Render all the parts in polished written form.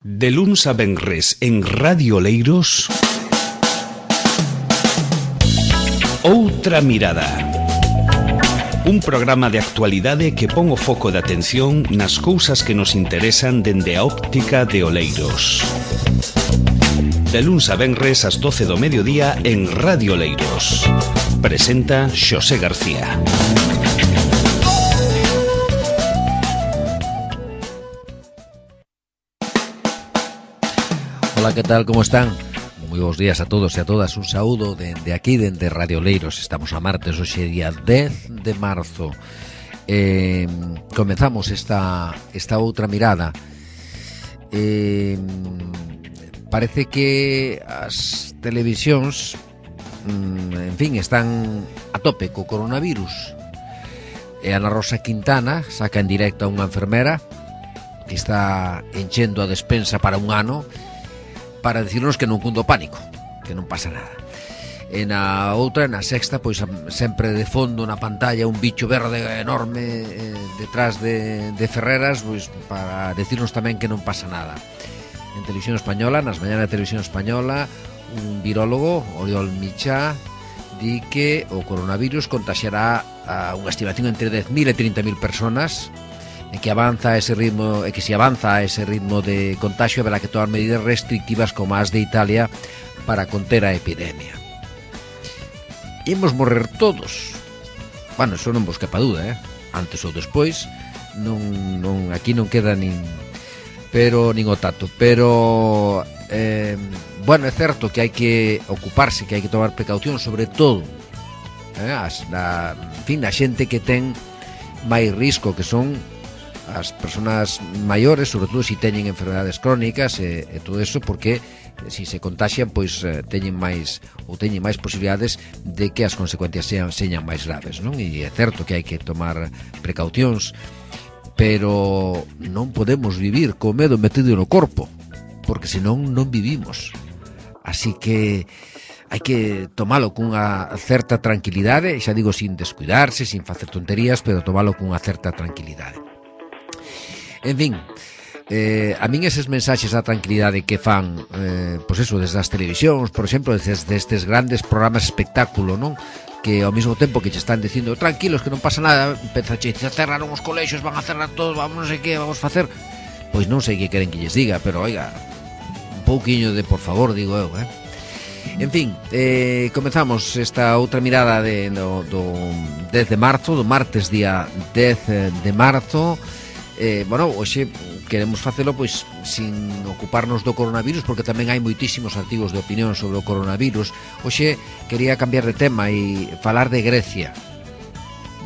De luns a venres en Radio Oleiros, Outra Mirada. Un programa de actualidade que pon o foco de atención nas cousas que nos interesan dende a óptica de Oleiros. De luns a venres ás 12 do mediodía en Radio Oleiros. Presenta Xosé García. Hola, ¿qué tal? ¿Cómo están? Moi bons días a todos e a todas. Un saúdo dende aquí, dende Radio Oleiros. Estamos a martes, hoxe día 10 de marzo. Comezamos esta outra mirada. Parece que as televisións, en fin, están a tope co coronavirus. E Ana Rosa Quintana saca en directo a unha enfermera que está enchendo a despensa para un ano, para decirnos que non cundo pánico, que non pasa nada. E na outra, na sexta, pois sempre de fondo na pantalla un bicho verde enorme detrás de Ferreras, pois para decirnos tamén que non pasa nada. En Televisión Española, nas mañanas de Televisión Española, un virólogo, Oriol Michá, di que o coronavirus contaxiará a unha estimación entre 10.000 e 30.000 personas, e que avanza a ese ritmo, e que se avanza a ese ritmo de contagio haberá que tomar medidas restrictivas como as de Italia para conter a epidemia. Imos morrer todos. Bueno, eso non vos quepa duda, antes ou despois, aquí non queda nin o tato, pero bueno, é certo que hai que ocuparse, que hai que tomar precaución, sobre todo a xente que ten máis risco, que son as persoas maiores, sobre todo se teñen enfermedades crónicas e todo eso, porque se se contaxian, pois teñen máis posibilidades de que as consecuencias señan máis graves, non? E é certo que hai que tomar precaucións, pero non podemos vivir co medo metido no corpo, porque senón non vivimos. Así que hai que tomalo cunha certa tranquilidade, xa digo, sin descuidarse, sin facer tonterías, pero tomalo cunha certa tranquilidade. En fin, a min eses mensaxes da tranquilidade que fan, pois eso, desde as televisións, por exemplo, desde estes grandes programas de espectáculo, non? Que ao mesmo tempo que che están dicindo tranquilos, que non pasa nada, pensache, cerraron os colexios, van a cerrar todos, vamos non sei que, vamos facer. Pois non sei que queren que lles diga, pero oiga, un pouquiño de por favor, digo eu, En fin, comezamos esta outra mirada do 10 de marzo, do martes día 10 de marzo. Bueno, hoxe queremos facelo pois sin ocuparnos do coronavirus, porque tamén hai moitísimos artigos de opinión sobre o coronavirus. Hoxe quería cambiar de tema e falar de Grecia,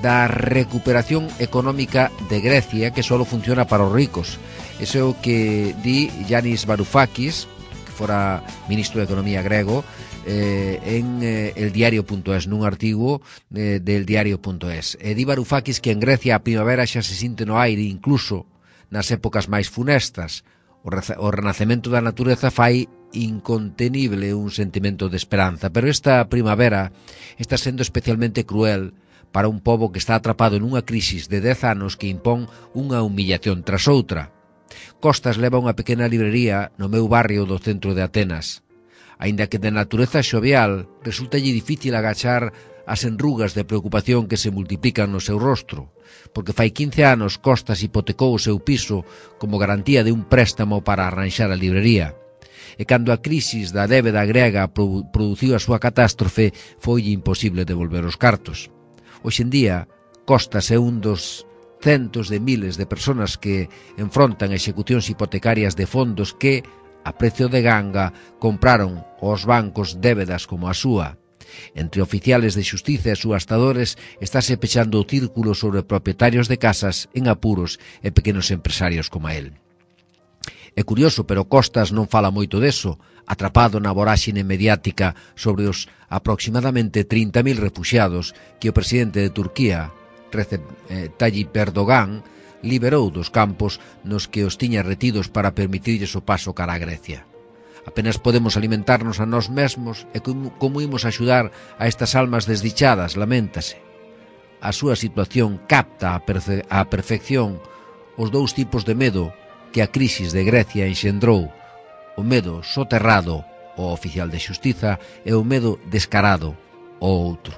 da recuperación económica de Grecia, que só funciona para os ricos. Eso é o que di Yanis Varoufakis, que fora ministro de Economía grego, en eldiario.es, nun artigo del diario.es. E di Varoufakis que en Grecia a primavera xa se sinte no aire, incluso nas épocas máis funestas. O renacemento da natureza fai incontenible un sentimento de esperanza, pero esta primavera está sendo especialmente cruel para un pobo que está atrapado nunha crisis de 10 anos que impón unha humillación tras outra. Costas leva unha pequena librería no meu barrio do centro de Atenas. Aínda que de natureza xovial, resultalle difícil agachar as enrugas de preocupación que se multiplican no seu rostro, porque fai 15 anos Costas hipotecou o seu piso como garantía de un préstamo para arranxar a librería. E cando a crisis da débeda grega produciu a súa catástrofe, foi imposible devolver os cartos. Hoxe en día, Costas é un dos centos de miles de persoas que enfrontan execucións hipotecarias de fondos que, a precio de ganga, compraron aos bancos débedas como a súa. Entre oficiales de xustiza e subastadores estáse pechando o círculo sobre propietarios de casas en apuros e pequenos empresarios como a él. É curioso, pero Costas non fala moito deso, atrapado na voráxine mediática sobre os aproximadamente 30.000 refuxiados que o presidente de Turquía, Recep Tayyip Erdogan, liberou dos campos nos que os tiña retidos para permitirlles o paso cara a Grecia. Apenas podemos alimentarnos a nós mesmos e como imos axudar a estas almas desdichadas, laméntase. A súa situación capta a perfección os dous tipos de medo que a crisis de Grecia enxendrou o medo soterrado ao oficial de xustiza e o medo descarado ao outro.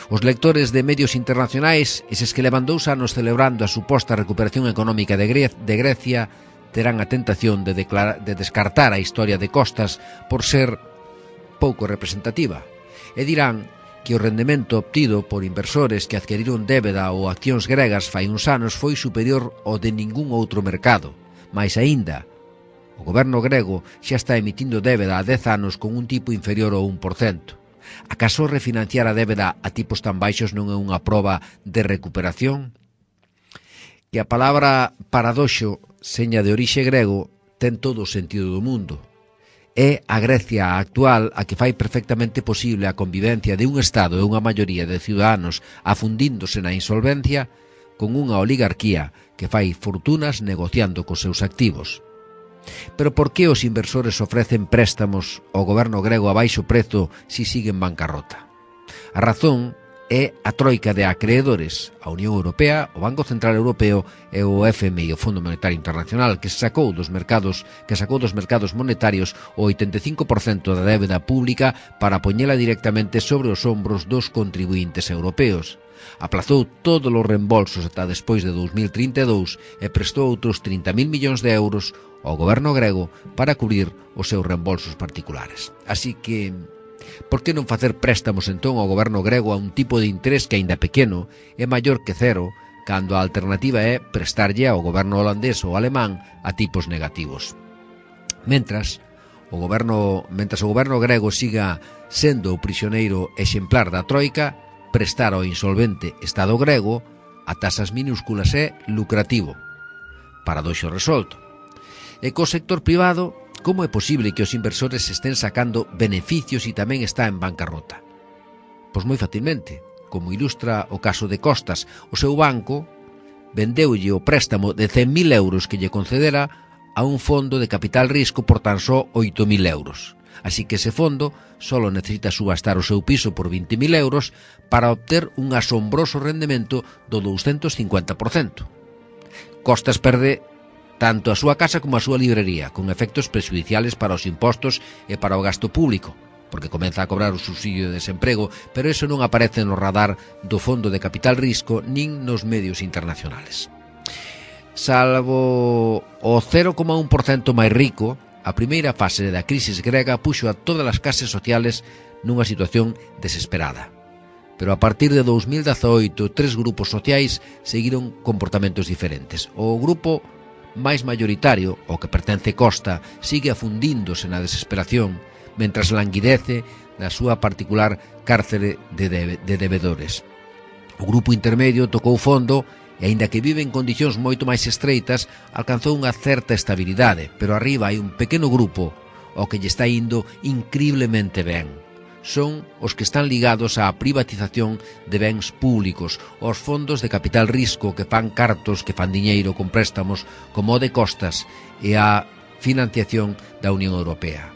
Os lectores de medios internacionais, eses que levan 2 anos celebrando a suposta recuperación económica de Grecia, terán a tentación de descartar a historia de Costas por ser pouco representativa e dirán que o rendemento obtido por inversores que adquiriron débeda ou accións gregas fai uns anos foi superior ao de ningún outro mercado. Mais aínda, o goberno grego xa está emitindo débeda a 10 anos con un tipo inferior ao 1%. Acaso refinanciar a débeda a tipos tan baixos non é unha proba de recuperación? Que a palabra paradoxo, seña de orixe grego, ten todo o sentido do mundo. É a Grecia actual a que fai perfectamente posible a convivencia de un Estado e unha maioría de ciudadanos afundíndose na insolvencia con unha oligarquía que fai fortunas negociando cos seus activos. Pero por que os inversores ofrecen préstamos ao goberno grego a baixo prezo si sigue en bancarrota? A razón é a troika de acreedores, a Unión Europea, o Banco Central Europeo e o FMI, o Fondo Monetario Internacional, que sacou dos mercados monetarios o 85% da débeda pública para poñela directamente sobre os ombros dos contribuintes europeos. Aplazou todos os reembolsos ata despois de 2032 e prestou outros 30.000 millóns de euros ao goberno grego para cubrir os seus reembolsos particulares. Así que, por que non facer préstamos entón ao goberno grego a un tipo de interés que, aínda pequeno, é maior que cero, cando a alternativa é prestarlle ao goberno holandés ou alemán a tipos negativos? Mentras o goberno grego siga sendo o prisioneiro exemplar da troika, prestar ao insolvente Estado grego a tasas minúsculas é lucrativo. Paradoxo resolto. E co sector privado, como é posible que os inversores estén sacando beneficios e tamén está en bancarrota? Pois moi facilmente, como ilustra o caso de Costas, o seu banco vendeulle o préstamo de 100.000 euros que lle concedera a un fondo de capital risco por tan só 8.000 euros. Así que ese fondo solo necesita subastar o seu piso por 20.000 euros para obter un asombroso rendemento do 250%. Costas perde tanto a súa casa como a súa librería, con efectos prexudiciales para os impostos e para o gasto público, porque comeza a cobrar o subsidio de desemprego, pero eso non aparece no radar do Fondo de Capital Risco nin nos medios internacionales. Salvo o 0,1% máis rico, a primeira fase da crisis grega puxo a todas as clases sociales nunha situación desesperada. Pero a partir de 2018, 3 grupos sociais seguiron comportamentos diferentes. O grupo máis mayoritario, o que pertence Costa, sigue afundíndose na desesperación, mentras languidece na súa particular cárcere de debedores. O grupo intermedio tocou fondo e, aínda que vive en condicións moito máis estreitas, alcanzou unha certa estabilidade, pero arriba hai un pequeno grupo ao que lle está indo increíblemente ben. Son os que están ligados á privatización de bens públicos, aos fondos de capital risco que fan cartos, que fan diñeiro con préstamos como o de Costas e a financiación da Unión Europea.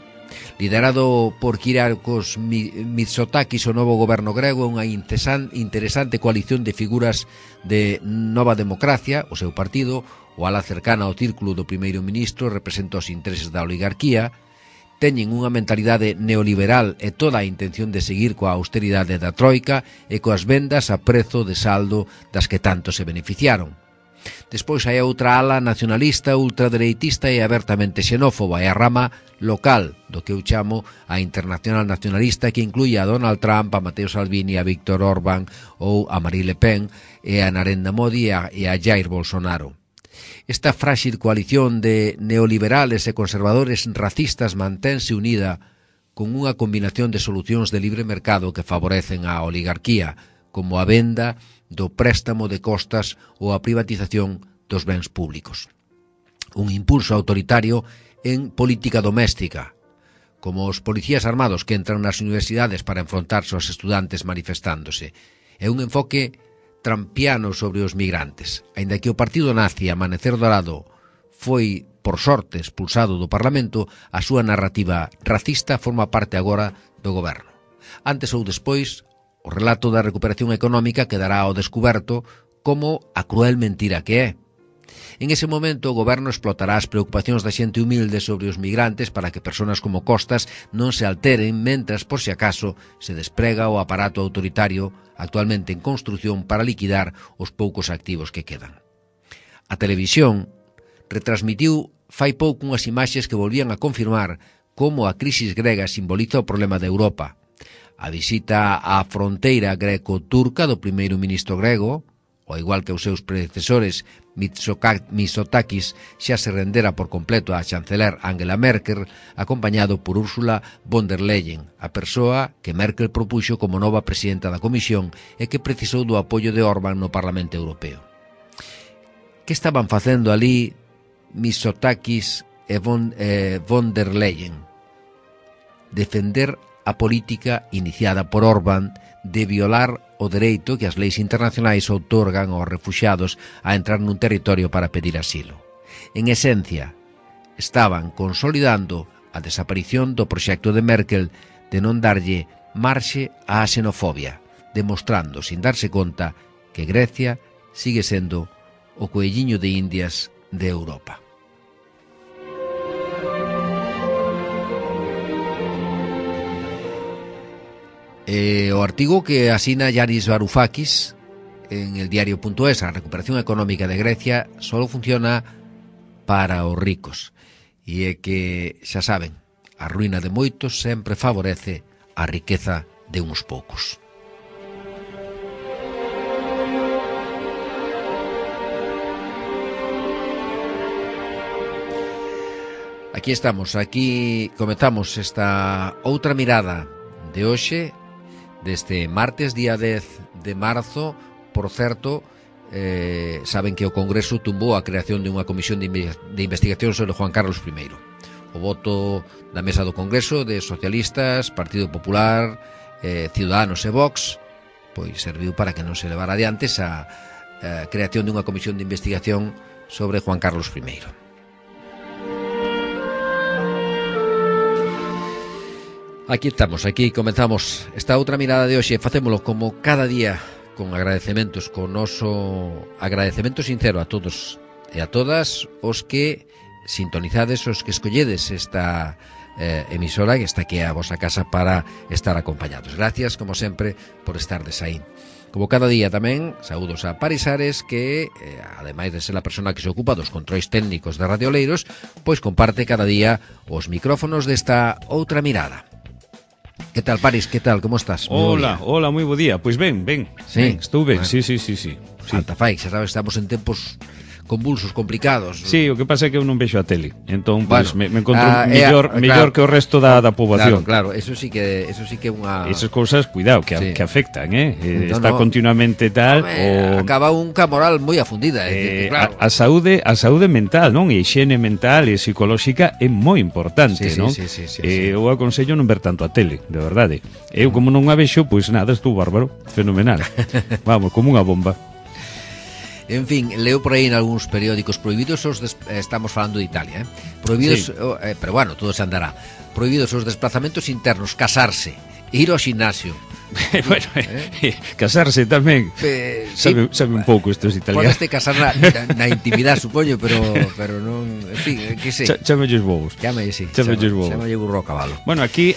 Liderado por Kyriakos Mitsotakis, o novo goberno grego é unha interesante coalición de figuras de Nova Democracia, o seu partido, o ala cercana ao círculo do primeiro ministro, representa os intereses da oligarquía, teñen unha mentalidade neoliberal e toda a intención de seguir coa austeridade da troika e coas vendas a prezo de saldo das que tanto se beneficiaron. Despois hai outra ala nacionalista, ultradereitista e abertamente xenófoba, e a rama local do que eu chamo a internacional nacionalista, que inclúe a Donald Trump, a Matteo Salvini, a Víctor Orbán ou a Marine Le Pen e a Narendra Modi e a Jair Bolsonaro. Esta frágil coalición de neoliberales e conservadores racistas mantense unida con unha combinación de solucións de libre mercado que favorecen a oligarquía, como a venda do préstamo de Costas ou a privatización dos bens públicos. Un impulso autoritario en política doméstica, como os policías armados que entran nas universidades para enfrontarse aos estudantes manifestándose, e un enfoque trampiano sobre os migrantes. Aínda que o partido nazi Amanecer Dorado foi, por sorte, expulsado do Parlamento, a súa narrativa racista forma parte agora do goberno. Antes ou despois, o relato da recuperación económica quedará ao descuberto como a cruel mentira que é. En ese momento o goberno explotará as preocupacións da xente humilde sobre os migrantes para que persoas como Costas non se alteren mentras, por si acaso, se desprega o aparato autoritario actualmente en construción para liquidar os poucos activos que quedan. A televisión retransmitiu fai pouco unhas imaxes que volvían a confirmar como a crisis grega simboliza o problema de Europa. A visita á fronteira greco-turca do primeiro ministro grego, ao igual que os seus predecesores, Mitsotakis xa se rendera por completo á chanceler Angela Merkel, acompañado por Ursula von der Leyen, a persoa que Merkel propuxo como nova presidenta da Comisión e que precisou do apoio de Orbán no Parlamento Europeo. Que estaban facendo ali Mitsotakis e von der Leyen? Defender a política iniciada por Orbán de violar o dereito que as leis internacionais outorgan aos refuxiados a entrar nun territorio para pedir asilo. En esencia, estaban consolidando a desaparición do proxecto de Merkel de non darlle marxe á xenofobia, demostrando, sin darse conta, que Grecia sigue sendo o coelliño de Indias de Europa. O artigo que asina Yanis Varoufakis en el diario.es, a recuperación económica de Grecia solo funciona para os ricos, e é que, xa saben, a ruína de moitos sempre favorece a riqueza de uns poucos. Aquí estamos, aquí comezamos esta outra mirada de hoxe, deste martes, día 10 de marzo. Por certo, saben que o Congreso tumbou a creación de unha comisión de investigación sobre Juan Carlos I. O voto da mesa do Congreso de socialistas, Partido Popular, Ciudadanos e Vox, pois serviu para que non se levara adiante esa creación de unha comisión de investigación sobre Juan Carlos I. Aquí estamos, aquí comenzamos esta outra mirada de hoxe. Facémolo como cada día con agradecementos, con noso agradecemento sincero a todos e a todas os que sintonizades, os que escolledes esta emisora que está aquí a vosa casa para estar acompañados. Gracias, como sempre, por estardes aí. Como cada día tamén, saúdos a Paris Ares, que, ademais de ser a persona que se ocupa dos controis técnicos de Radio Oleiros, pois comparte cada día os micrófonos desta outra mirada. Que tal, Paris? Que tal? Como estás? Hola, moi bo día. Pois ben, sí? Estou ben, bueno. Sí. Alta fai, xa sabes, estamos en tempos convulsos, complicados. Sí, o que pasa é que eu non vexo a tele. Entón, pois, bueno, me encontro mellor que o resto da poboación. Claro, eso sí que é unha... Esas cousas, cuidado, que afectan, está no. continuamente tal... Acaba unha moral moi afundida. Claro. A saúde mental, non? E higiene mental e psicolóxica é moi importante, non? Sí. Eu aconsello non ver tanto a tele, de verdade. Eu, como non a vexo, pois nada, estou bárbaro, fenomenal. Vamos, como unha bomba. En fin, leo por aí en algúns periódicos prohibidos estamos falando de Italia, prohibidos, sí. Pero bueno, todo se andará. Prohibidos os desplazamentos internos, casarse, ir ao ximnasio. Bueno, casarse tamén. Sabe un pouco estes italianos. Podeste casar na intimidade, supoño, pero non, en fin, que sei. Chámelles bobos. Chámelles burro ao cabalo. Bueno, aquí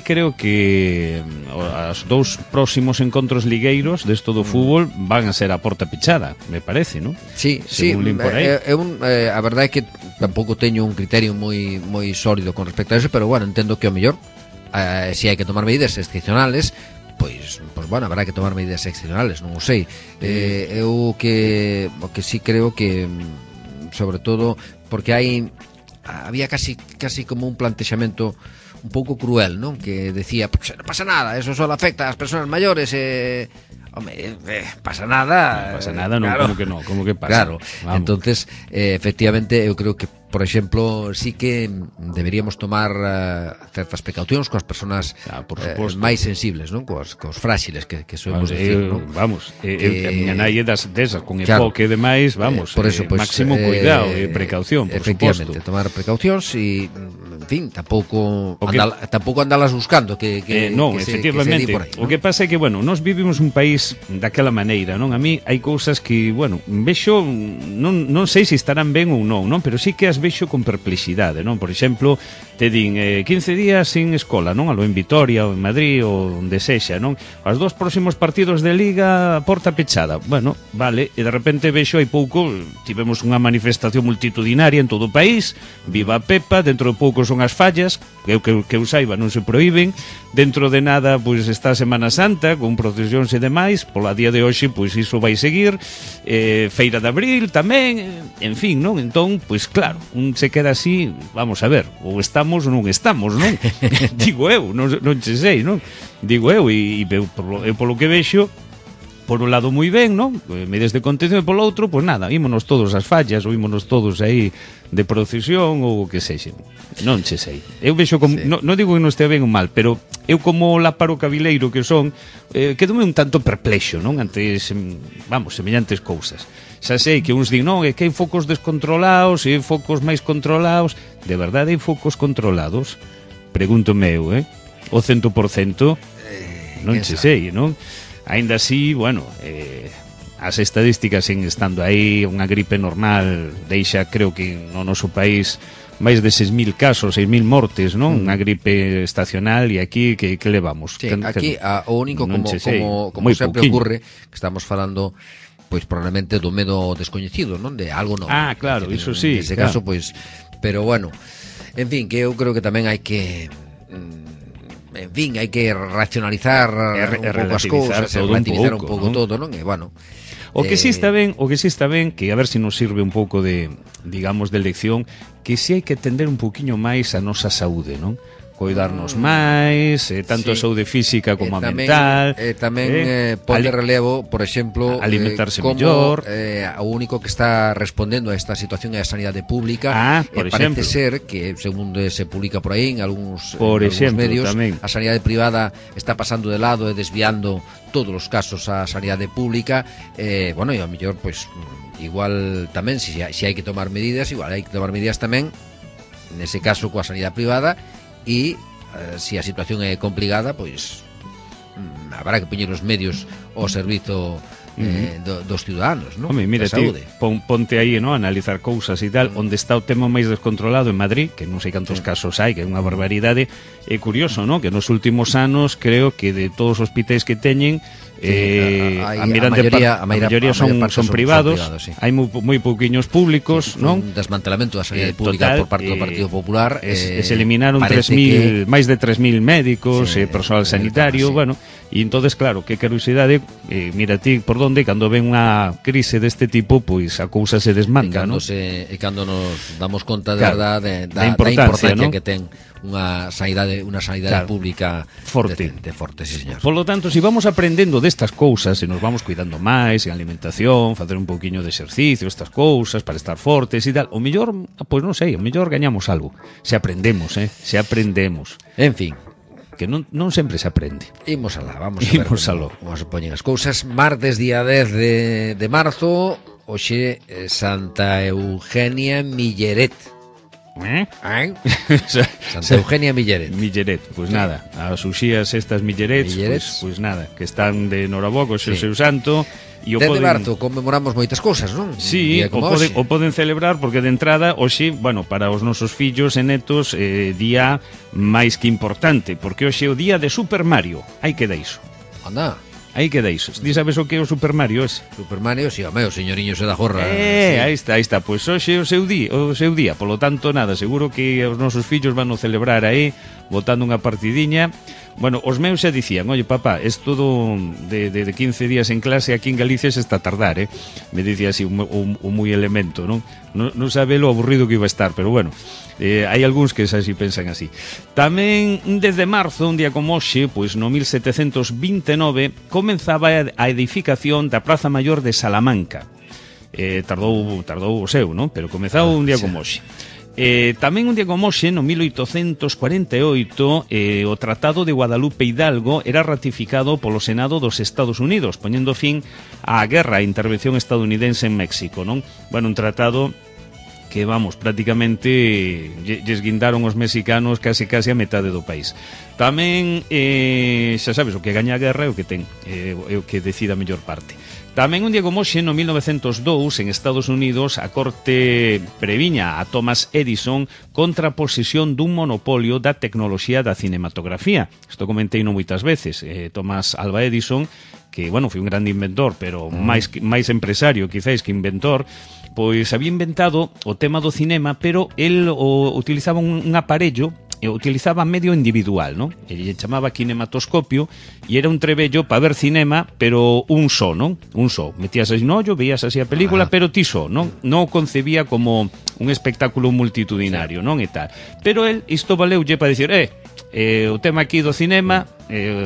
creo que os dous próximos encontros ligueiros desto do fútbol van a ser a porta pechada, me parece, non? Sí. A verdade é que tampouco teño un criterio moi sólido con respecto a eso, pero bueno, entendo que o mellor se hai que tomar medidas excepcionales, pois bueno, habrá que tomar medidas excepcionales, non o sei. Eu o que sí creo que, sobre todo, porque había casi como un plantexamento un pouco cruel, non? Que decía, pues, non pasa nada, eso só afecta ás persoas maiores, pasa nada. Non pasa nada, non, claro. Como que pasa? Claro, vamos. Entonces, efectivamente, eu creo que, por exemplo, sí que deberíamos tomar certas precaucións coas persoas máis sensibles, non? Coas fráxiles que soemos decir, non? Vamos, a miña nai é desas, con enfoque e demais, vamos, por eso, pues, máximo cuidado e precaución, por efectivamente, suposto. Tomar precaucións e, en fin, tampouco andalas buscando non, efectivamente, por aí, o que pasa é que, bueno, nós vivimos un país daquela maneira, non? A mí hai cousas que, bueno, vexo, non sei se estarán ben ou non, pero sí que as vexo con perplexidade, non? Por exemplo, te din 15 días sin escola, non? Alo en Vitoria ou en Madrid ou onde sexa, non? Os 2 próximos partidos de Liga, porta pechada. Bueno, vale, e de repente vexo hai pouco, tivemos unha manifestación multitudinaria en todo o país, viva a Pepa, dentro de pouco son as fallas, que eu saiba non se prohíben, dentro de nada pois está a Semana Santa con procesións e demais, pola día de hoxe pois iso vai seguir, Feira de Abril tamén, en fin, non? Entón, pois claro, un se queda así, vamos a ver, ou estamos ou non estamos, non? Digo eu, non che sei, non? Digo eu, e polo que vexo, por un lado moi ben, non? Medidas de contención, e polo outro, pois nada, ímonos todos ás fallas, ou ímonos todos aí de procesión ou o que sexe. Non che sei. Eu vexo como, sí. Non digo que non estea ben ou mal, pero eu como laparo cabileiro que son, quedome un tanto perplexo, non? Ante, semellantes cousas. Xa sei que uns din, non, é que hai focos descontrolados e focos máis controlados. De verdade hai focos controlados? Pregúntome eu, o 100%, non che sei, non? Ainda así, bueno, as estadísticas siguen estando aí, unha gripe normal deixa, creo que no noso país, máis de 6.000 casos, 6.000 mortes, non? Unha gripe estacional, e aquí que levamos? Sí, aquí o único, como sempre ocurre, que estamos falando, pois probablemente do medo descoñecido, non? De algo novo. Ah, claro, iso sí. Nese caso, pois, pero bueno, en fin, que eu creo que tamén hai que... En fin, hai que racionalizar un pouco as cousas, relativizar un pouco todo, non? E, bueno, o que si está ben, que a ver se nos sirve un pouco de, digamos, de lección, que si hai que tender un pouquiño máis a nosa saúde, non? Coidarnos máis, tanto a saúde física como a mental. Tamén pode relevo, por exemplo, alimentarse como mellor. O único que está respondendo a esta situación é a sanidade pública. Parece ser que, según se publica por aí en algúns medios, tamén a sanidade privada está pasando de lado e desviando todos os casos á sanidade pública. Bueno, e ao mellor, pois, igual tamén, se hai que tomar medidas, igual hai que tomar medidas tamén, nese caso, coa sanidade privada. E se a situación é complicada, pois habrá que poñer os medios ao servizo dos ciudadanos, non? Home, mira, ponte aí, non? Analizar cousas e tal, onde está o tema máis descontrolado en Madrid, que non sei cantos casos hai, que é unha barbaridade. É curioso, non? Que nos últimos anos creo que de todos os hospitais que teñen, a maioría son privados, sí. Hai moi pouquiños públicos, non? Un desmantelamento da sanidade pública por parte do Partido Popular. Se eliminaron máis de 3.000 médicos, personal sanitario, bueno, e entonces, claro, que curiosidade, mira ti por donde, cando ven unha crise deste tipo, pois a cousa se desmanda, non? E cando nos damos conta de verdade da importancia que ten unha sanidade pública forte, sí, señor. Por lo tanto, se vamos aprendendo destas cousas, se nos vamos cuidando máis en alimentación, facer un pouquiño de exercicio, estas cousas para estar fortes e tal, o mellor, pois non sei, o mellor gañamos algo. Se aprendemos. En fin, que non sempre se aprende. Imos alá, vamos a ver como se poñen as cousas. Martes, día 10 de marzo, hoxe Santa Eugenia Milleret. Santa Eugenia Milleret, pois nada, as uxías estas Millerets, pois nada, que están de Noraboco, o seu santo. E de marzo conmemoramos moitas cousas, non? Sí, o poden celebrar porque de entrada hoxe, bueno, para os nosos fillos e netos, día máis que importante, porque hoxe é o día de Super Mario. Aí queda iso. Anda. Aí queda iso. Ti sabes o que é o Super Mario ese? Super Mario, si, o señoriño se da jorra. Sí. Aí está. Pois hoxe é o seu día. Polo tanto, nada, seguro que os nosos fillos van a celebrar aí, botando unha partidiña. Bueno, os meus xa dicían, oye, papá, es todo de 15 días en clase aquí en Galicia se está a tardar, Me dicía así un moi elemento, non? Non sabe lo aburrido que iba a estar, pero bueno, hai algúns que xa si pensan así. Tamén desde marzo, un día como hoxe, pois no 1729, comenzaba a edificación da Praza Maior de Salamanca. Tardou o seu, non? Pero comezaba un día como hoxe. Tamén un día como hoxe, no 1848, o Tratado de Guadalupe Hidalgo era ratificado polo Senado dos Estados Unidos, poñendo fin á guerra e intervención estadounidense en México, non? Bueno, un tratado que, vamos, prácticamente lles guindaron os mexicanos casi a metade do país. Tamén, xa sabes, o que gaña a guerra é o que ten, é o que decide a mellor parte. Tamén un día como hoxe, no 1902, en Estados Unidos, a corte previña a Thomas Edison contra a posesión dun monopolio da tecnoloxía da cinematografía. Isto comentei non moitas veces. Thomas Alva Edison, que, bueno, foi un grande inventor, pero máis empresario, quizáis, que inventor, pois había inventado o tema do cinema, pero el utilizaba un aparello, utilizaba medio individual, ¿no? Ele chamaba kinematoscopio e era un trebello para ver cinema, pero un só, ¿no? Un só. Metías así no ollo, veías así a película, pero ti só, ¿no? Non o concebía como un espectáculo multitudinario, non? E tal. Pero el, isto valeulle para dicir, o tema aquí do cinema,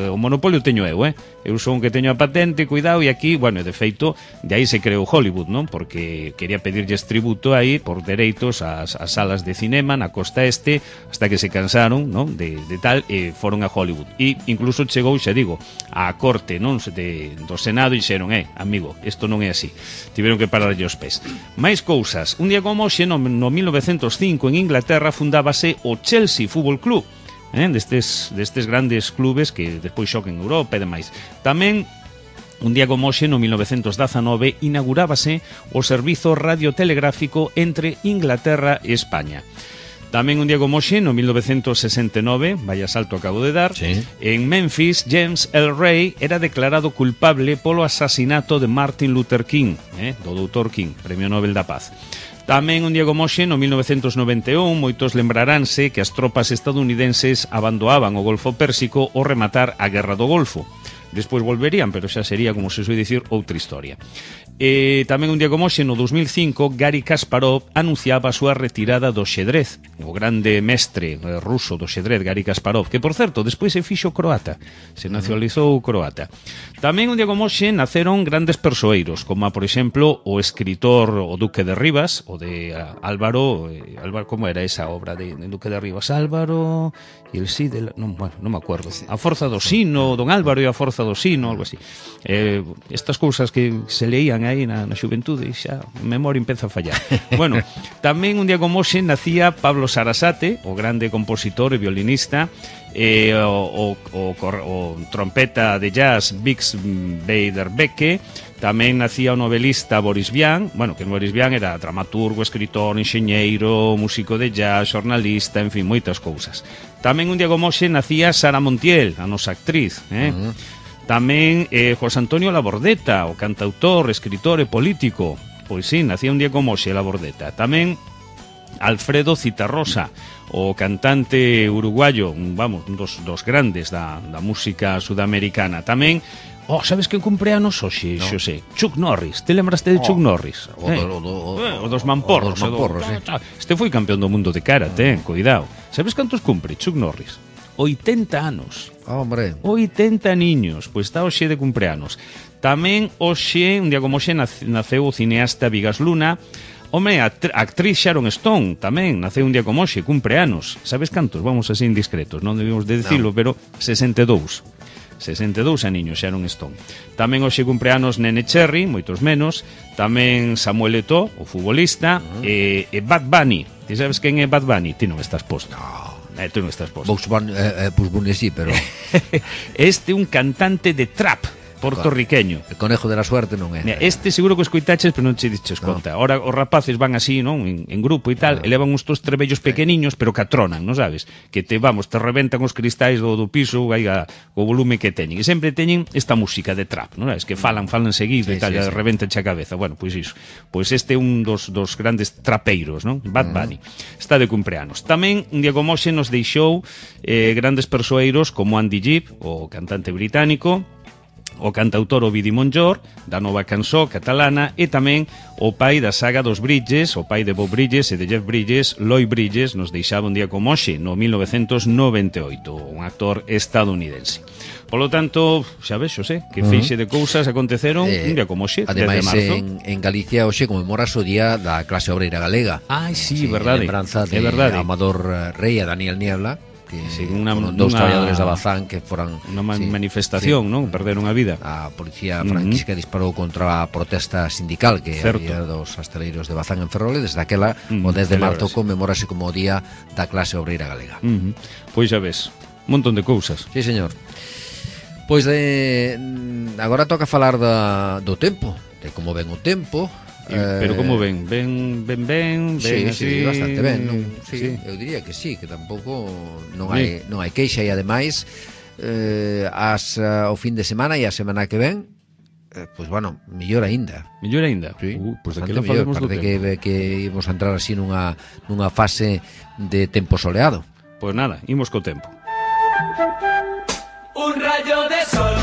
o monopolio teño eu, eu son que teño a patente, cuidado, e aquí, bueno, de feito, de aí se creou Hollywood, non? Porque quería pedirlles tributo aí por dereitos ás salas de cinema na costa este, hasta que se cansaron, non? De tal, e foron a Hollywood. E incluso chegou, xa digo, á corte, non? Do Senado e dixeron, amigo, isto non é así. Tiveron que pararlle os pés. Mais cousas. Un día como hoxe, no 1905, en Inglaterra, fundábase o Chelsea Fútbol Club, destes grandes clubes que despois xocan en Europa e demais. Tamén, un día como hoxe, no 1919, inaugurábase o servizo radiotelegráfico entre Inglaterra e España. Tamén un día como hoxe, no 1969, vaya salto acabo de dar, sí. En Memphis, James L. Ray era declarado culpable polo asasinato de Martin Luther King, do Dr. King, Premio Nobel da Paz. Tamén un día como hoxe, no 1991, moitos lembraránse que as tropas estadounidenses abandoaban o Golfo Pérsico ao rematar a Guerra do Golfo. Despois volverían, pero xa sería, como se soe dicir, outra historia. Tamén un día como hoxe, no 2005, Garry Kasparov anunciaba a súa retirada do xedrez. O grande mestre ruso do xedrez, Garry Kasparov, que, por certo, despois se fixo croata, se nacionalizou croata. Tamén un día como hoxe naceron grandes persoeiros, como, por exemplo, o escritor o Duque de Rivas, o de Álvaro, como era esa obra de Duque de Rivas? Álvaro e el sí de... non me acuerdo. A forza do sino, don Álvaro e a forza do sino, algo así. Estas cousas que se leían aí na xuventude, xa a memoria empeza a fallar. Bueno, tamén un día como hoxe nacía Pablo Sarasate, o grande compositor e violinista, o trompeta de jazz Bix Beiderbecke. Tamén nacía o novelista Boris Vian, bueno, que Boris Vian era dramaturgo, escritor, enxeñeiro, músico de jazz, xornalista, en fin, moitas cousas. Tamén un día como hoxe nacía Sara Montiel, a nosa actriz, Tamén José Antonio Labordeta, o cantautor, escritor e político. Pois sí, nacía un día como hoxe Labordeta. Tamén Alfredo Citarrosa, o cantante uruguayo, vamos, un dos grandes da música sudamericana. Tamén, sabes que cumpleanos hoxe, no. Xosé? Chuck Norris, te lembraste de Chuck Norris? O dos mamporros. Este foi campeón do mundo de karate, cuidado. Sabes cantos cumpre Chuck Norris? 80 anos. Hombre. 80 niños, pois está hoxe de cumpleanos. Tamén hoxe, un día como hoxe, naceu o cineasta Vigas Luna. Home, a actriz Sharon Stone tamén naceu un día como hoxe, cumpleanos. Sabes cantos? Vamos así indiscretos, non debemos de dicilo, pero 62 aniños Sharon Stone. Tamén hoxe cumpleanos Nene Cherry, moitos menos. Tamén Samuel Eto'o, o futbolista, e Bad Bunny. Ti sabes quen é Bad Bunny? Ti non estás posto. Tú non estás posto. Pues Bunny sí, pero... Este é un cantante de trap portorriqueño. El conejo de la suerte non é. Este seguro que escoitaches, pero non che diches conta. Ahora os rapaces van así, non? En grupo e tal, elevan uns tos trebellos pequeniños, pero que atronan, non sabes? Que te reventan os cristais do piso, o volume que teñen. E sempre teñen esta música de trap, non sabes? Que falan seguido e tal, reventan a cabeza. Bueno, pois iso. Pois este é un dos grandes trapeiros, non? Bad Bunny. Está de cumpleanos. Tamén, un día como hoxe, nos deixou grandes persoeiros como Andy Gibb, o cantante británico, o cantautor Ovidi Montllor, da nova cançó catalana, e tamén o pai da saga dos Bridges, o pai de Bob Bridges e de Jeff Bridges, Lloyd Bridges, nos deixaba un día como hoxe, no 1998, un actor estadounidense. Polo tanto, xa ves, Xosé, que feixe de cousas aconteceron un día como hoxe, 3 de marzo. Ademais, en Galicia hoxe conmemoras o día da clase obreira galega. Sí, verdade. Lembranza de Amador Rey e Daniel Niebla, que foron dous traballadores da Bazán que foran unha manifestación, non? Perderon a vida. A policía franquista disparou contra a protesta sindical que había dos astaleiros de Bazán en Ferrol, e desde aquela o 10 de marzo conmemórase como o día da clase obreira galega. Pois xa ves, un montón de cousas. Sí, señor. Pois agora toca falar do tempo, de como ven o tempo. Pero como ven? Ben sí, así? Sí, bastante ben, non? Sí, eu diría que sí, que tampouco non hai queixa, e ademais ao fin de semana e a semana que ven, pois bueno, mellor aínda. Mellor aínda? Sí, pois daquela falamos do tempo. Que imos a entrar así nunha fase de tempo soleado. Pois nada, imos co tempo. Un rayo de sol,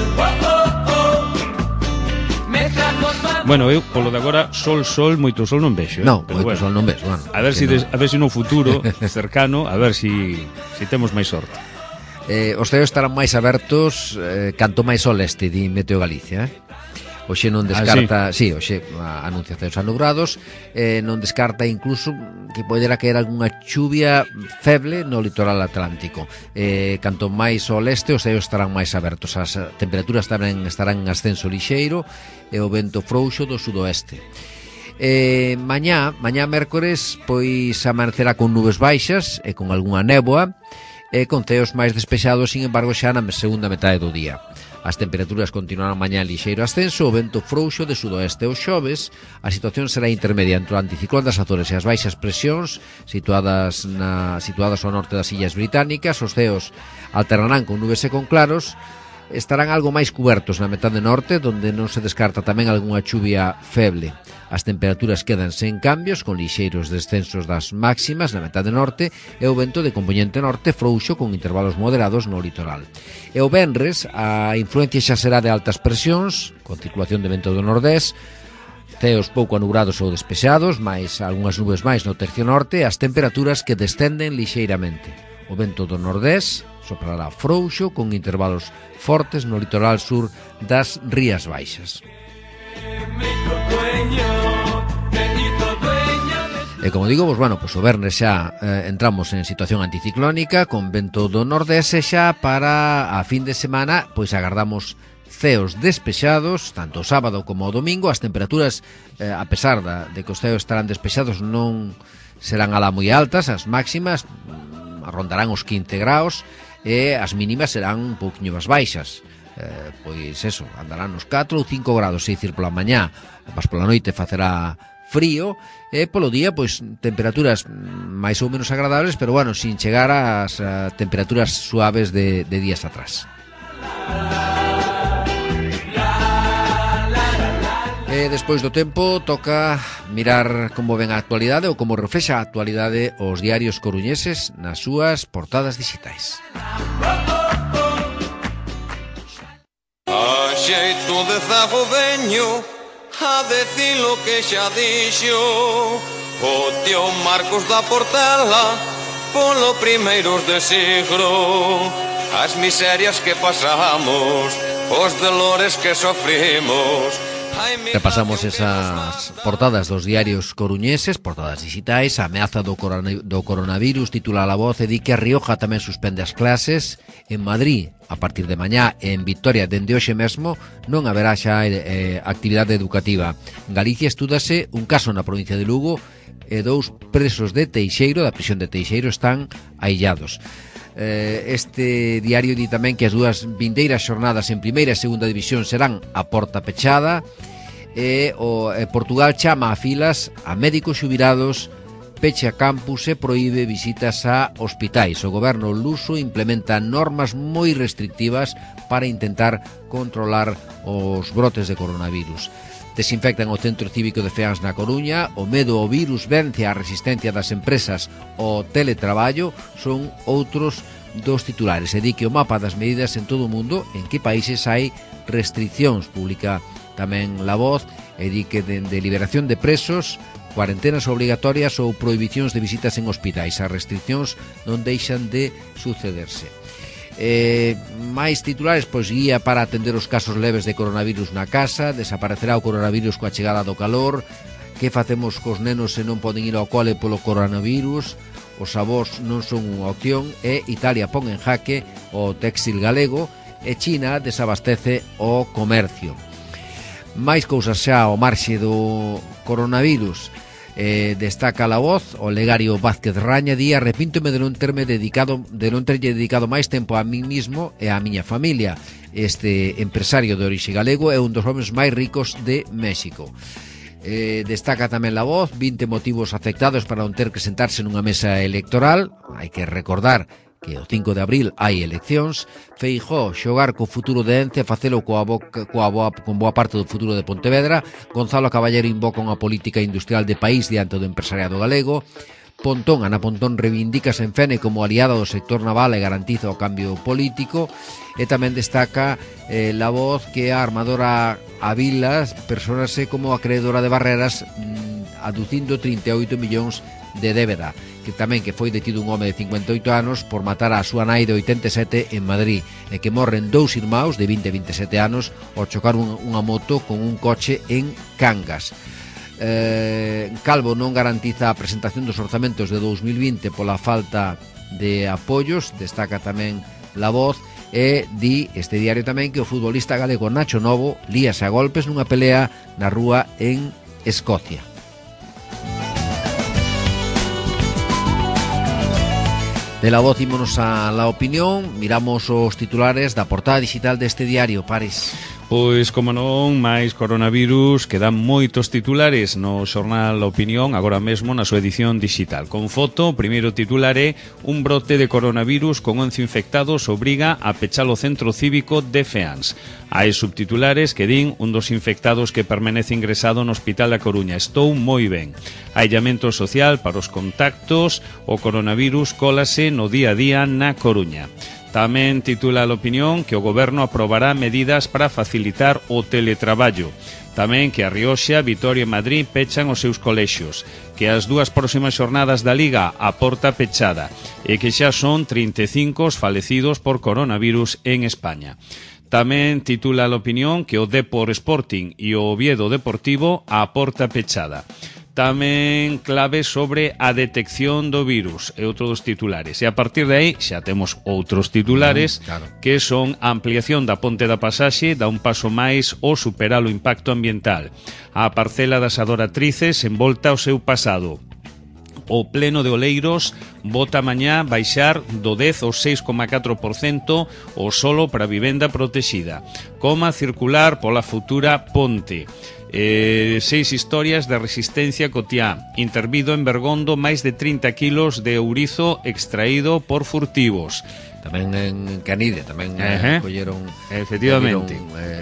Bueno, eu, polo de agora, sol, moito sol non vexo. Non, moito sol non vexo, bueno. A ver se no futuro cercano, a ver si temos máis sorte. Os ceos estarán máis abertos canto máis sol este, di Meteo Galicia, Oxe non descarta, sí, oxe anuncia ceos anubrados, non descarta incluso que poderá caer algunha chuvia feble no litoral atlántico. Canto máis ao leste, os ceos estarán máis abertos, as temperaturas tamén estarán en ascenso lixeiro e o vento frouxo do sudoeste. Mañá mércores, pois amanecerá con nubes baixas e con algunha néboa, e con ceos máis despexados, sin embargo, xa na segunda metade do día. As temperaturas continuarán mañá en lixeiro ascenso, o vento frouxo de sudoeste. Os xoves, a situación será intermedia entre o anticiclón das Azores e as baixas presións situadas ao norte das Illas Británicas. Os ceos alternarán con nubes e con claros, estarán algo máis cubertos na metade norte, donde non se descarta tamén algunha chuvia feble. As temperaturas quedan sen cambios, con lixeiros descensos das máximas na metade norte e o vento de compoñente norte frouxo con intervalos moderados no litoral. E o venres, a influencia xa será de altas presións, con circulación de vento do nordés, ceos pouco anubrados ou despexados, máis algunhas nubes máis no tercio norte, e as temperaturas que descenden lixeiramente. O vento do nordés soprará frouxo con intervalos fortes no litoral sur das Rías Baixas. E como digo, pues bueno, pues o vernes xa entramos en situación anticiclónica con vento do nordés, e xa para a fin de semana pois agardamos ceos despexados tanto o sábado como o domingo. As temperaturas, a pesar de que os ceos estarán despexados, non serán alá moi altas. As máximas rondarán os 15 graus e as mínimas serán un pouquiño máis baixas. Pois eso, andarán nos 4 ou 5 grados, é dicir, pola mañá, mas pola noite facerá frío, e polo día, pois, temperaturas máis ou menos agradables, pero bueno, sin chegar ás temperaturas suaves de días atrás. E despois do tempo toca mirar como ven a actualidade ou como reflexa a actualidade os diarios coruñeses nas súas portadas digitais. A xeito de zago veño a decir lo que xa dixo o tío Marcos da Portela polo primeiros de siglo. As miserias que pasamos, os dolores que sofrimos. Repasamos esas portadas dos diarios coruñeses, portadas digitais. A ameaza do coronavirus titula La Voz e di que a Rioja tamén suspende as clases. En Madrid, a partir de mañá, e en Vitoria dende hoxe mesmo non haberá xa actividade educativa. En Galicia estúdase un caso na provincia de Lugo e 2 presos de Teixeiro, da prisión de Teixeiro, están aillados. Este diario di tamén que as dúas vindeiras xornadas en primeira e segunda división serán a porta pechada, e Portugal chama a filas a médicos xubilados, pecha campus e proíbe visitas a hospitais. O goberno luso implementa normas moi restrictivas para intentar controlar os brotes de coronavirus. Desinfectan o centro cívico de Feáns na Coruña. O medo ao virus vence a resistencia das empresas ao teletraballo, son outros dos titulares. E di que o mapa das medidas en todo o mundo, en que países hai restriccións, publica tamén La Voz, e di que de liberación de presos, cuarentenas obrigatorias ou prohibicións de visitas en hospitais. As restriccións non deixan de sucederse. Máis titulares, pois guía para atender os casos leves de coronavirus na casa. Desaparecerá o coronavirus coa chegada do calor. Que facemos cos nenos se non poden ir ao cole polo coronavirus? os avós non son unha opción e Italia pon en jaque o téxtil galego e China desabastece o comercio. Máis cousas xa ao marxe do coronavirus. Destaca La Voz, o Legario Vázquez Raña di: arrepíntome de non terlle dedicado máis tempo a mí mismo e á miña familia. Este empresario de orixe galego é un dos homes máis ricos de México. Destaca tamén La Voz 20 motivos afectados para non ter que sentarse nunha mesa electoral. Hai que recordar que o 5 de abril hai eleccións. Feijóo xogar co futuro de Ence, facelo con boa parte do futuro de Pontevedra. Gonzalo Caballero invoca unha política industrial de país diante do empresariado galego. Ana Pontón reivindícase en Fene como aliada do sector naval e garantiza o cambio político. E tamén destaca La Voz que a armadora Avilas persónase como acreedora de Barreras, aducindo 38 millóns de débeda. Que tamén que foi detido un home de 58 anos por matar a súa nai de 87 en Madrid, e que morren dous irmãos de 20 e 27 anos ao chocar unha moto con un coche en Cangas. Calvo non garantiza a presentación dos orzamentos de 2020 pola falta de apoios. Destaca tamén La Voz e di este diario tamén que o futbolista galego Nacho Novo líase a golpes nunha pelea na rúa en Escocia. De La Voz ímonos a La Opinión, miramos os titulares da portada digital deste diario, Pares. Pois, como non, máis coronavirus, quedan moitos titulares no xornal La Opinión, agora mesmo na súa edición digital. Con foto, o primeiro titular é: un brote de coronavirus con 11 infectados obriga a pechar o centro cívico de Feáns. Hai subtitulares que din: un dos infectados que permanece ingresado no Hospital da Coruña. Estou moi ben. Aillamento social para os contactos, o coronavirus cólase no día a día na Coruña. Tamén titula a Opinión que o Goberno aprobará medidas para facilitar o teletraballo. Tamén que a Rioxa, Vitoria e Madrid pechan os seus colexios, que as dúas próximas xornadas da Liga a porta pechada e que xa son 35 os falecidos por coronavirus en España. Tamén titula a Opinión que o Depor Sporting e o Oviedo Deportivo a porta pechada. Tamén clave sobre a detección do virus, é outro dos titulares. E a partir de aí xa temos outros titulares, claro, que son a ampliación da Ponte da Pasaxe, dá un paso máis o superar o impacto ambiental. A parcela das adoratrices envolta o seu pasado. O pleno de Oleiros vota mañá baixar do 10 ao 6,4% o solo para vivenda protexida. Coma circular pola futura ponte. 6 historias de resistencia cotiá. Intervido en Bergondo máis de 30 kilos de ourizo extraído por furtivos. Tamén en Canide, tamén colleron efectivamente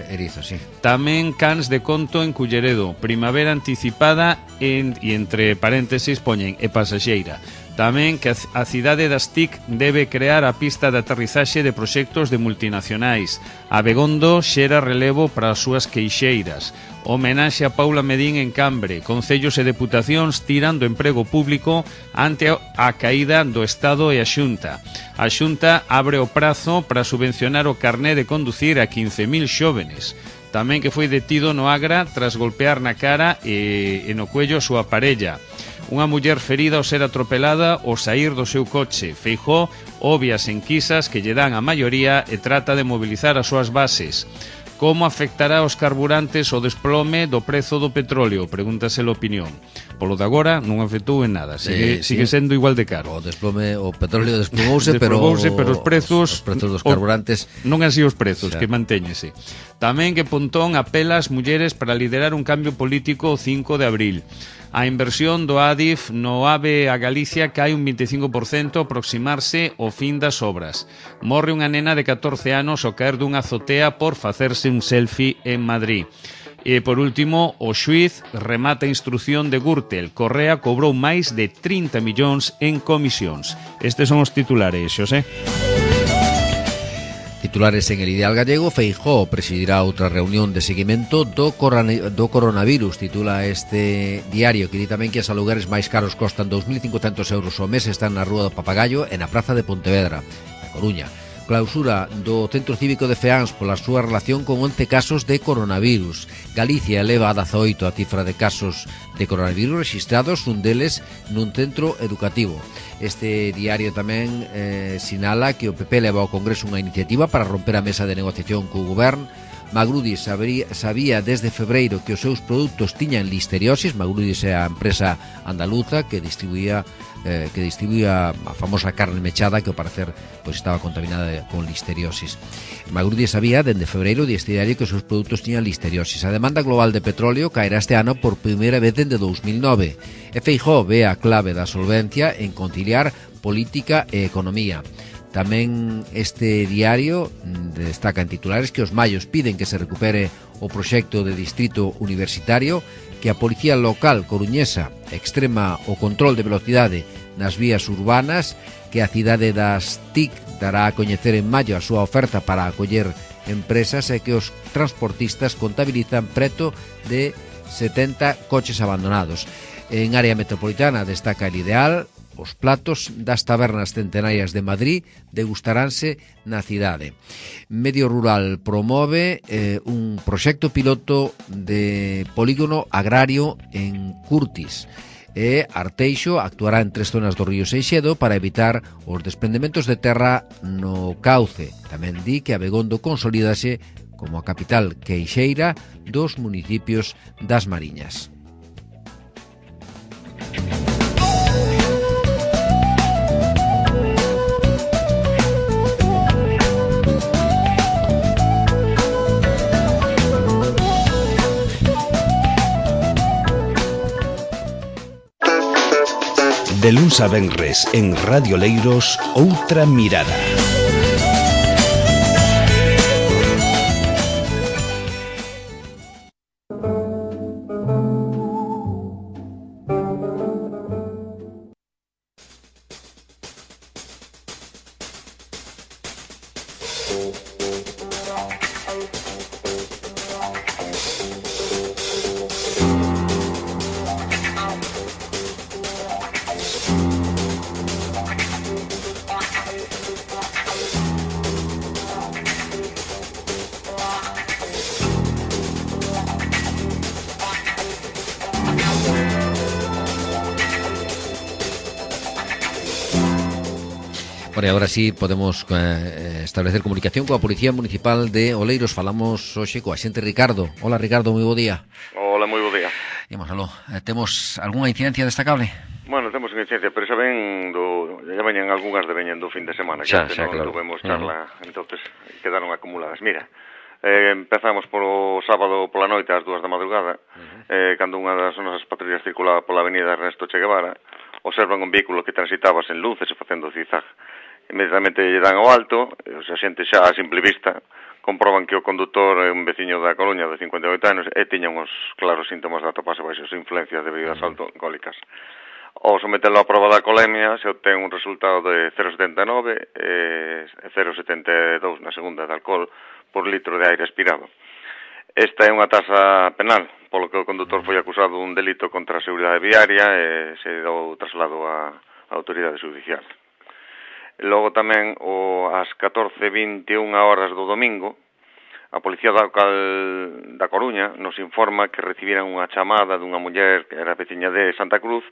erizo, sí. Tamén cans de conto en Culleredo. Primavera anticipada e entre paréntesis poñen e pasaxeira. Tamén que a cidade das TIC debe crear a pista de aterrizaxe de proxectos de multinacionais. Abegondo xera relevo para as súas queixeiras. Homenaxe a Paula Medín en Cambre. Concellos e deputacións tiran do emprego público ante a caída do Estado e a Xunta. A Xunta abre o prazo para subvencionar o carné de conducir a 15.000 xóvenes. Tamén que foi detido no Agra tras golpear na cara e no cuello a súa parella. Unha muller ferida ao ser atropelada ao saír do seu coche. Feijóo obvia as enquisas que lle dan a maioría e trata de mobilizar as súas bases. Como afectará aos carburantes o desplome do prezo do petróleo? Pregúntase a Opinión. Polo de agora non afectou en nada, sigue sendo igual de caro. O petróleo desplomouse, pero os prezos dos carburantes non así os prezos, que mantéñese. Tamén que Pontón apela ás mulleres para liderar un cambio político o 5 de abril. A inversión do Adif no AVE a Galicia cae un 25% ao aproximarse o fin das obras. Morre unha nena de 14 anos ao caer dunha azotea por facerse un selfie en Madrid. E, por último, o xuiz remata a instrución de Gürtel. Correa cobrou máis de 30 millóns en comisións. Estes son os titulares, Xosé. Titulares en El Ideal Gallego. Feijóo presidirá outra reunión de seguimento do coronavirus, titula este diario, que di tamén que os alugueres máis caros costan 2.500 euros ao mes, están na Rúa do Papagayo e na Praza de Pontevedra, na Coruña. clausura do Centro Cívico de Feáns pola súa relación con 11 casos de coronavirus. Galicia eleva a 18 a cifra de casos de coronavirus registrados, un deles nun centro educativo. Este diario tamén sinala que o PP leva ao Congreso unha iniciativa para romper a mesa de negociación co Govern. Magrudis sabía desde febreiro que os seus produtos tiñan listeriosis. Magrudis é a empresa andaluza que distribuía a famosa carne mechada que ao parecer pois estaba contaminada con listeriosis. Magrudis sabía desde febreiro deste diario que os seus produtos tiñan listeriosis. A demanda global de petróleo caerá este ano por primeira vez desde 2009. E Feijóo ve a clave da solvencia en conciliar política e economía. Tamén este diario destaca en titulares que os mallos piden que se recupere o proxecto de distrito universitario, que a Policía Local coruñesa extrema o control de velocidade nas vías urbanas, que a cidade das TIC dará a coñecer en maio a súa oferta para acoller empresas e que os transportistas contabilizan preto de 70 coches abandonados. En área metropolitana destaca el Ideal. Os platos das tabernas centenarias de Madrid degustaránse na cidade. Medio Rural promove un proxecto piloto de polígono agrario en Curtis. E Arteixo actuará en 3 zonas do río Seixedo para evitar os desprendementos de terra no cauce. Tamén di que Abegondo consolídase como a capital queixeira dos municipios das Mariñas. De luns a venres en Radio Leiros, Outra Mirada. Bueno, e agora sí podemos establecer comunicación coa Policía Municipal de Oleiros. Falamos hoxe coa xente Ricardo. Hola Ricardo, moi bo día. Hola, moi bo día. Imos aló. Temos algunha incidencia destacable? Bueno, temos unha incidencia, pero xa veñen algunhas de veñen do fin de semana, que xa, non claro. tuvemos charla, entonces quedaron acumuladas. Mira, empezamos polo sábado pola noite ás 2 da madrugada, cando unha das nosas patrullas circulaba pola avenida Ernesto Che Guevara, observan un vehículo que transitaba sen luces e facendo zigzag. Inmediatamente lle dan ao alto, os xente xa a simple vista comproban que o condutor é un veciño da Coruña de 58 anos e tiña uns claros síntomas de atoparse baixo as influencias de bebidas alcohólicas. Ao sometelo á proba da colemia se obtén un resultado de 0,79 e 0,72 na segunda de alcohol por litro de aire expirado. Esta é unha tasa penal, polo que o condutor foi acusado dun delito contra a seguridade viaria e se deu traslado á autoridade judicial. Logo tamén, ás 14:21 horas do domingo, a Policía Local da Coruña nos informa que recibiran unha chamada dunha muller que era veciña de Santa Cruz,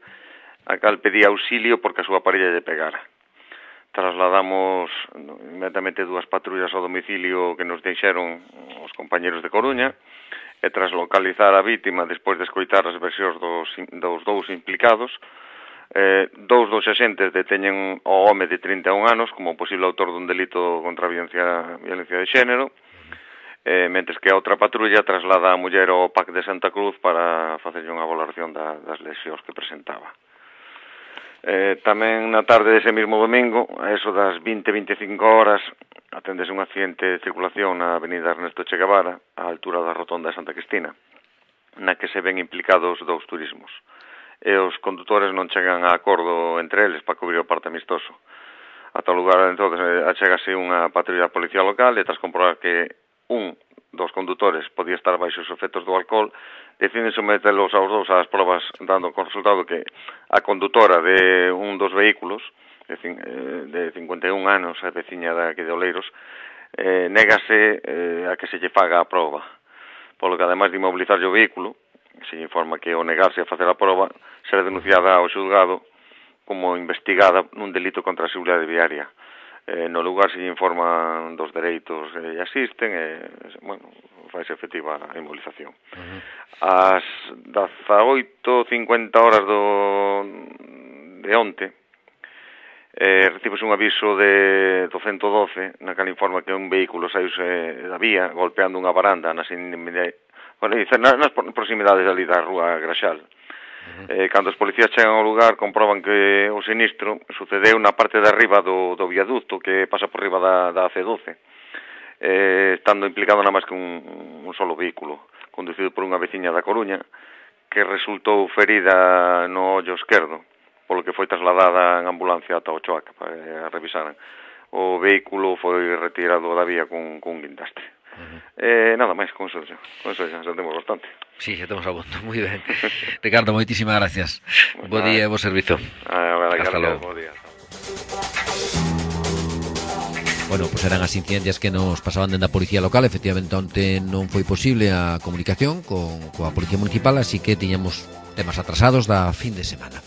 a cal pedía auxilio porque a súa parella lle pegara. Trasladamos inmediatamente 2 patrullas ao domicilio que nos deixaron os compañeros de Coruña e tras localizar a vítima despois de escoitar as versións dos dous implicados, 2 dos axentes deteñen ao home de 31 anos como posible autor dun delito contra a violencia de xénero, mentres que a outra patrulla traslada a muller ao PAC de Santa Cruz para facerlle unha valoración das lesións que presentaba. Tamén na tarde dese mesmo domingo, a eso das 20:25 horas, atendese un accidente de circulación na avenida Ernesto Che Guevara, á altura da rotonda de Santa Cristina, na que se ven implicados 2 turismos. E os condutores non chegan a acordo entre eles para cubrir o parte amistoso. Ata o lugar, entonces, achegase unha patrulla da Policía Local e tras comprobar que un dos condutores podía estar baixo os efectos do alcohol, deciden sometelos aos dous ás probas, dando con resultado que a condutora de un dos vehículos de 51 anos, a veciña daqui de Oleiros, négase a que se lle faga a proba, polo que ademais de inmobilizarlle o vehículo, se informa que ao negarse a facer a proba será denunciada ao xulgado como investigada nun delito contra a seguridade viaria. No lugar se informa dos dereitos que asisten bueno, faise efectiva a inmovilización. Ás 18:50 horas de onte recibes un aviso do 112 na cal informa que un vehículo saíuse da vía golpeando unha baranda nas proximidades ali da rúa Graxal. Cando os policías chegan ao lugar comproban que o sinistro sucedeu na parte de arriba do viaducto que pasa por riba da C12, estando implicado nada máis que un solo vehículo conducido por unha veciña da Coruña que resultou ferida no ollo esquerdo, polo que foi trasladada en ambulancia ata Ochoac para revisaran. O vehículo foi retirado da vía cun guindastre. Nada máis, con eso xa temos bastante. Sí, xa temos a punto, moi ben. Ricardo, moitísimas gracias. Bo día e bo servizo. Hasta logo. Bo día. Bueno, pois eran as incidencias que nos pasaban dentro da Policía Local. Efectivamente, onte non foi posible a comunicación coa Policía Municipal, así que tiñamos temas atrasados da fin de semana.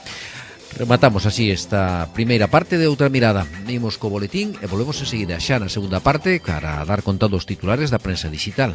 Rematamos así esta primeira parte de Outra Mirada. Imos co boletín e volvemos enseguida xa na segunda parte para dar conta dos titulares da prensa digital.